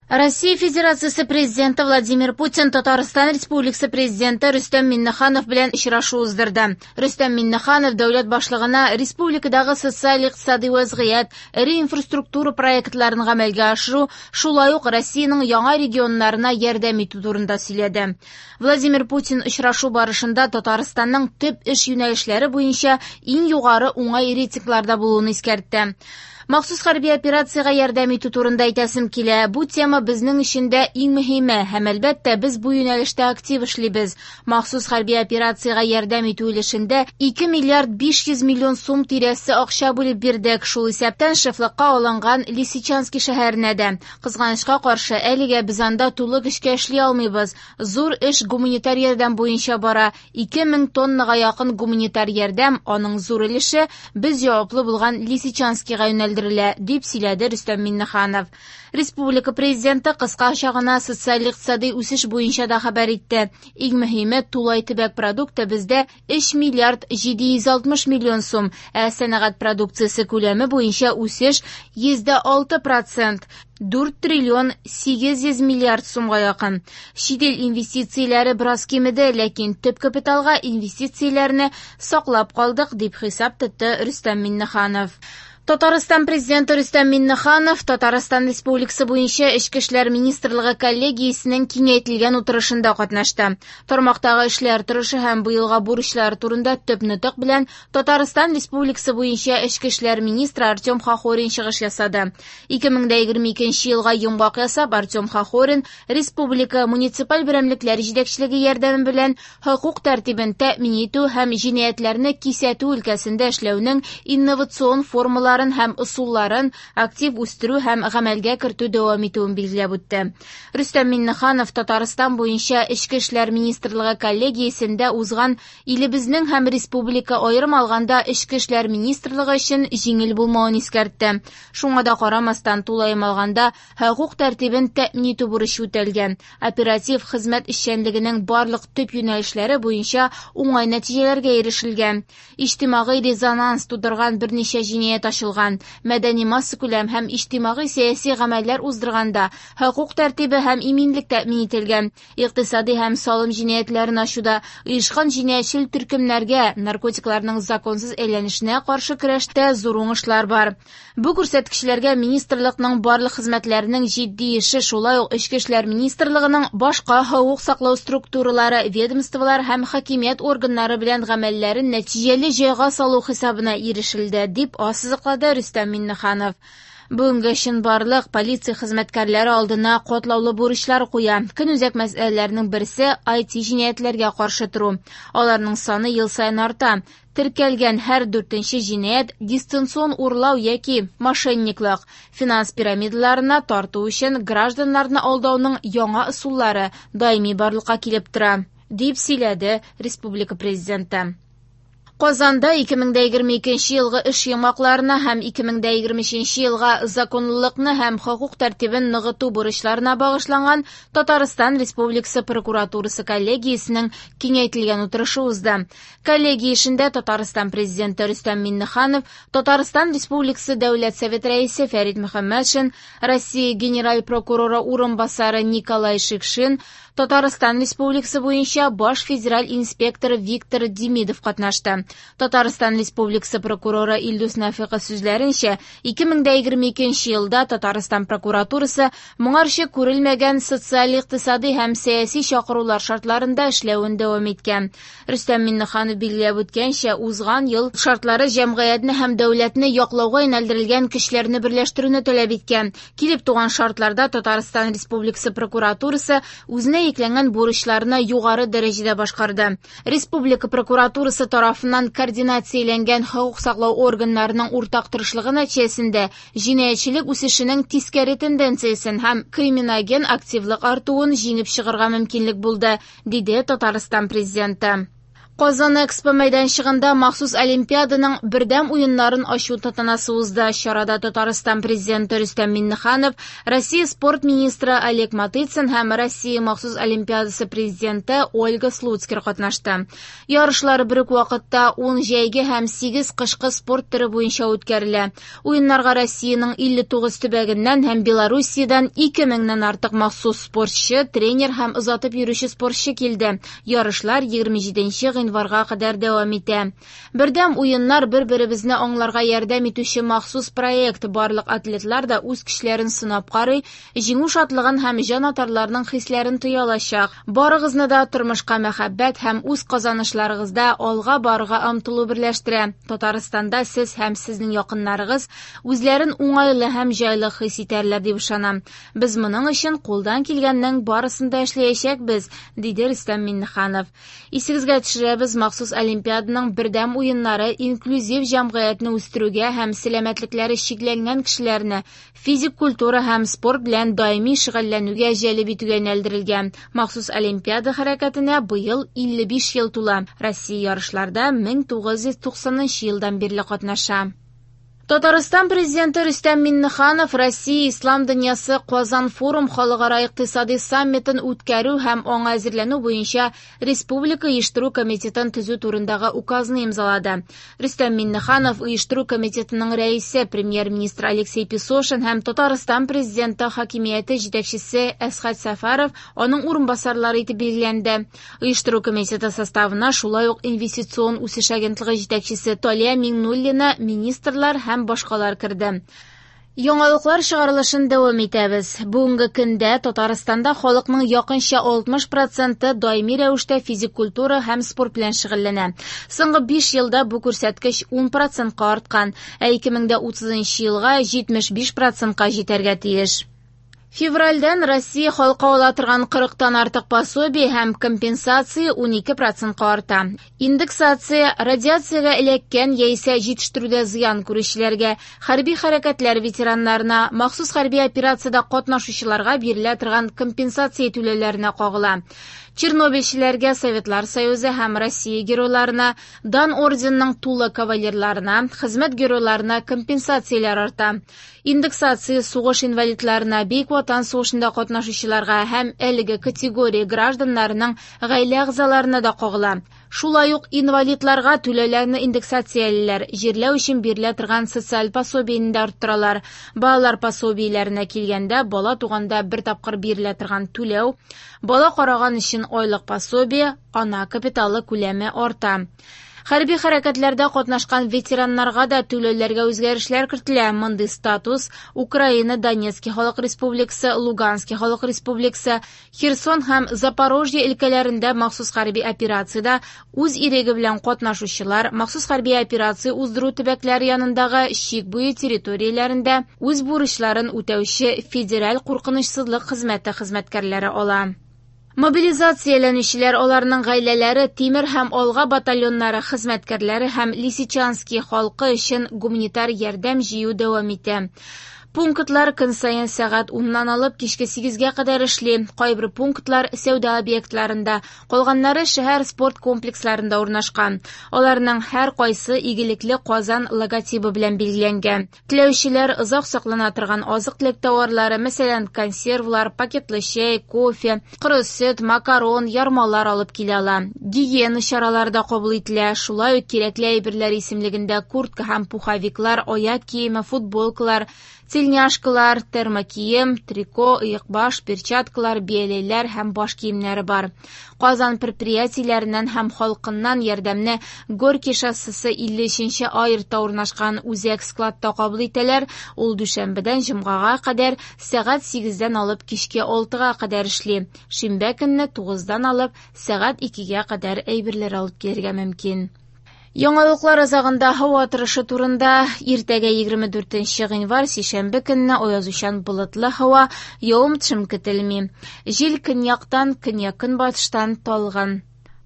Россия Федерациясе Президенты Владимир Путин Татарстан Республикасы Президенты Рөстәм Миңнеханов белән очрашу уздырды. Рөстәм Миңнеханов дәүләт башлыгына республикадагы социаль-икътисади вәзгыять, эре инфраструктура проектларын гамәлгә ашыру, шулай ук Россиянең яңа регионнарына ярдәм итү турында сөйләде. Владимир Путин очрашу барышында Татарстанның төп эш юнәлешләре буенча иң югары уңай рейтингларда булуын искәртте. Махсус хәрби операциягә ярдәм итү турында әйтәсем килә. Бу тема безнең өчен дә иң мөһиме һәм, әлбәттә, без бу юнәлештә актив эшлибез. Махсус хәрби операциягә ярдәм итү өлешендә 2 миллиард 500 миллион сум тирәсе акча бүлеп бирдек, шул исәптән шефлыкка алынган Лисичански шәһәренә дә. Кызганычка каршы, әлегә без анда тулы көчкә эшли алмыйбыз. Зур эш гуманитар ярдәм буенча бара. 2000 тоннага якын гуманитар ярдәм, аның зур өлеше без җаваплы булган Лисичанскига юнәлдерелә, дип сөйләде Рөстәм Миңнеханов. Республика Президенты кыскача гына социаль-икътисади үсеш буенча да хәбәр итте. Иң мөһиме, тулай төбәк продукты бездә 3 миллиард 760 миллион сум, ә сәнәгать продукциясе күләме буенча үсеш 106%, 4 триллион 800 миллиард сумга якын. Чит ил инвестицияләре бераз кимеде, ләкин төп капиталга инвестицияләрне саклап калдык, дип хисап тотты Рөстәм Миңнеханов. Татарстан Президенты Рөстәм Миңнеханов Татарстан Республикасы буенча Эчке эшләр министрлыгы коллегиясенең киңәйтелгән утырышында катнашты. Тармактагы эшләр торышы һәм быелга бурычлар турында төп нотык белән Татарстан Республикасы буенча Эчке эшләр министры Артем Хохорин чыгыш ясады. 2022 елга йомгак ясап, Артем Хохорин республика муниципаль берәмлекләр җитәкчелеге ярдәме белән хокук тәртибен тәэмин итү һәм җинаятьләрне кисәтү өлкәсендә эшләүнең инновацион формаларын һәм ысулларын актив үстерү һәм гамәлгә кертү дәвам итүен билгеләп үтте. Рөстәм Миңнеханов Татарстан буенча Эчке эшләр министрлыгы коллегиясендә узган илебезнең һәм республика аерым алганда Эчке эшләр министрлыгы өчен җиңел булмавын искәртте. Шуңа да карамастан, тулаем алганда, хокук тәртибен тәэмин итү бурычы үтәлгән. Оператив хезмәт эшчәнлегенең барлык төп юнәлешләре буенча уңай нәтиҗәләргә ирешелгән. Иҗтимагый резонанс тудырган берничә җинаять ачылган. Мәдәни массакүләм һәм иҗтимагый сәяси гамәлләр уздырганда хокук тәртибе һәм иминлек тәэмин ителгән. Икътисади һәм салым җинаятьләрен ачуда оешкан җинаятьчел төркемнәргә, наркотикларның законсыз әйләнешенә каршы көрәштә зур уңышлар бар. Бу күрсәткечләргә министрлыкның барлык хезмәтләренең җитди эше, шулай ук Эчке эшләр министрлыгының башка хокук саклау структуралары, ведомстволар һәм хакимият органнары белән гамәлләрен нәтиҗәле җайга салу хисабына ирешелде, дип ассызыклады Рөстәм Миңнеханов. Бүгенге чынбарлык полиция хезмәткәрләре алдына катлаулы бурычлар куя. Көнүзәк мәсьәләләрнең берсе IT җинаятьләргә каршы тору. Аларның саны ел саен арта. Теркәлгән һәр дүртенче җинаять дистанцион урлау яки мошенниклык. Финанс пирамидаларына тарту өчен гражданнарны алдауның яңа ысуллары даими барлыкка килеп тора, дип сөйләде республика президенты. Казанда 2022 елгы эш йомгакларына һәм 2023 елга законлылыкны һәм хокук тәртибен ныгыту бурычларына багышланган Татарстан Республикасы прокуратурасы коллегиясенең киңәйтелгән утырышы узды. Коллегия эшендә Татарстан Президенты Рөстәм Миңнеханов, Татарстан Республикасы Дәүләт Совет Рәисе Фәрит Мөхәммәтшин, Россия Генераль прокуроры урынбасары Николай Шикшин, Татарстан Республикасы буенча баш федераль инспектор Виктор Демидов катнашты. Татарстан Республикасы прокуроры Илдус Нәфыйков сүзләренчә, 2022 елда Татарстан прокуратурасы моңарчы күрелмәгән социаль-икътисади һәм сәяси чакырулар шартларында эшләвен дәвам иткән. Рөстәм Миңнеханов билгеләп үткәнчә, узган ел шартлары җәмгыятьне һәм дәүләтне яклауга юнәлдерелгән көчләрне берләштерүне таләп иткән. Килеп туган шартларда Татарстан Республикасы прокуратурасы үзенә йөкләнгән бурычларны югары дәрәҗәдә башкарды. Республика прокуратурасы тарафыннан координацияләнгән хокук саклау органнарының уртак тырышлыгы нәтиҗәсендә җинаятьчелек үсешенең тискәре тенденциясен һәм криминоген активлык артуын җиңеп чыгарга мөмкинлек булды, диде Татарстан президенты. Казан Экспо мәйданчыгында махсус Олимпиаданың бердәм уеннарын ачу тантанасы узды. Чарада Татарстан президенты Рөстәм Миңнеханов, Россия спорт министры Олег Матыцин һәм Россия махсус Олимпиадасы президенты Ольга Слуцкер катнашты. Ярышлар бер үк вакытта 10 җәйге һәм 8 кышкы спорт төре буенча үткәрелә. Уеннарга Россиянең 59 төбәгеннән һәм Белоруссиядән 2000 нән артык махсус спортчы, тренер һәм озатып йөрүче спортчы килде. Ярышлар 27 гыйнварга кадәр дәвам итә. Бердәм уеннар бер-беребезне аңларга ярдәм итүче махсус проект. Барлык атлетлар да үз көчләрен сынап карый, җиңү шатлыгын һәм җанатарларның хисләрен тоя алачак. Барыгызны да тормышка мәхәббәт һәм үз казанышларыгызда алга барырга омтылу берләштерә. Татарстанда сез һәм сезнең якыннарыгыз үзләрен уңайлы һәм җайлы хис итәрләр дип ышанам. Без моның өчен кулдан килгәннең барысын да эшләячәкбез, диде Рөстәм Миңнеханов. Исегезгә төшерәбез, махсус Олимпиаданың бердәм уеннары инклюзив җәмгыятьне үстерүгә һәм сәламәтлекләре чикләнгән кешеләрне физик культура һәм спорт белән даими шөгыльләнүгә җәлеп итүгә юнәлдерелгән. Махсус Олимпиада хәрәкәтенә быел 55 ел тула. Россия ярышларда 1990 елдан бирле катнаша. Татарстан президенты Рөстәм Миңнеханов Россия Ислам дөньясы Казан форум халыкара икътисади саммитын үткәрү һәм аңа әзерләнү буенча Республика оештыру комитетын төзү турындагы указны имзалады. Рөстәм Миңнеханов оештыру комитетының рәисе, премьер-министр Алексей Песошин һәм Татарстан президенты хакимияте җитәкчесе Әсхәт Сәфәров аның урынбасарлары итеп билгеләнде. Оештыру комитеты составына шулай ук инвестицион үсеш агентлыгы җитәкчесе Талия Миңнуллина, министрлар һәм башкалар керде. Яңалыклар чыгарылышын дәвам итәбез. Бүгенге көндә Татарстанда халыкның якынча 60% даими рәвештә физик культура һәм спорт белән шөгыльләнә. Соңгы 5 елда бу күрсәткеч 10%-ка арткан, ә 2030 елга 75%-ка җитәргә тиеш. Февральдән Россия халкы ала торган 40-тан артык пособие һәм компенсация 12%-ка арта. Индексация радиациягә эләккән яисә җитештерүдә зыян күрүчеләргә, хәрби хәрәкәтләр ветераннарына, махсус хәрби операциядә катнашучыларга бирелә торган компенсация түләүләренә кагыла. Чернобыльчеләргә, Советлар Союзы һәм Россия геройларына, Дан орденының тулы кавалерларына, хезмәт геройларына компенсацияләр арта. Индексация сугыш инвалидларына, Бөек Ватан сугышында катнашучыларга һәм әлеге категория гражданнарының гаилә әгъзаларына да кагыла. Шулай ук инвалидларга түләүләрне индексациялиләр, җирләү өчен бирелә торган социаль пособиене дә арттыралар. Балалар пособиеләренә килгәндә, бала туганда бер тапкыр бирелә торган түләү, бала караган өчен айлык пособие, ана капиталы күләме арта. Хәрби хәрәкәтләрдә катнашкан ветераннарга да түләүләргә үзгәрешләр кертелә. Мондый статус Украина, Донецкий халык республикасы, Луганский халык республикасы, Херсон һәм Запорожье өлкәләрендә махсус хәрби операциядә үз иреге белән катнашучылар, махсус хәрби операция уздыру төбәкләре янындагы чик буе территорияләрендә үз бурычларын үтәүче Федераль куркынычсызлык хезмәте хезмәткәрләре ала. Мобилизацияләнүчеләр, аларның гаиләләре, Тимер һәм Алга батальоннары хезмәткәрләре һәм Лисичанский халкы өчен гуманитар ярдәм җыю дәвам итә. Пунктлар көн саен сәгать 10-нан алып кичке 8-гә кадәр эшли. Кайбер пунктлар сәүдә объектларында, калганнары шәһәр спорт комплексларында урнашкан. Аларның һәр кайсы игелекле Казан логотибы белән билгеләнгән. Теләүчеләр озак саклана торган азык-төлек товарлары, мәсәлән, консервлар, пакетлы чәй, кофе, коры сөт, макарон, ярмалар алып килә ала. Гигиена чаралары да кабул ителә. Шулай ук кирәкле әйберләр исемлегендә куртка һәм пуховиклар, аяк киеме, футболкалар, тельняшкалар, термокием, трико, ыекбаш, перчаткалар, бияләйләр һәм баш киемнәре бар. Казан предприятиеләреннән һәм халкыннан ярдәмне Горький шоссесы 53-нче А йортта урнашкан үзәк складта кабул итәләр. Ул дүшәмбедән җомгага кадәр сәгать 8-дән алып кичке 6-га кадәр эшли. Шимбә көнне 9-дан алып сәгать 2-гә кадәр әйберләр алып килергә мөмкин. Яңалыклар азагында һава торышы турында. Иртәгә 24 гыйнвар сишәмбе көнне аязучан болытлы һава, явым-төшем көтелми. Җил көньяктан, көньяк-көнбатыштан талгын.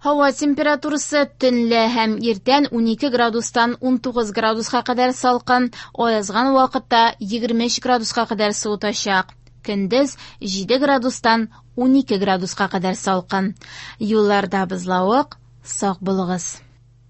Һава температурасы төнлә һәм иртән 12 градустан 19 градуска кадәр салкын, аязган вакытта 23 градуска кадәр суытачак. Көндез 7 градустан 12 градуска кадәр салкын. Юлларда бозлавык, Сак булыгыз.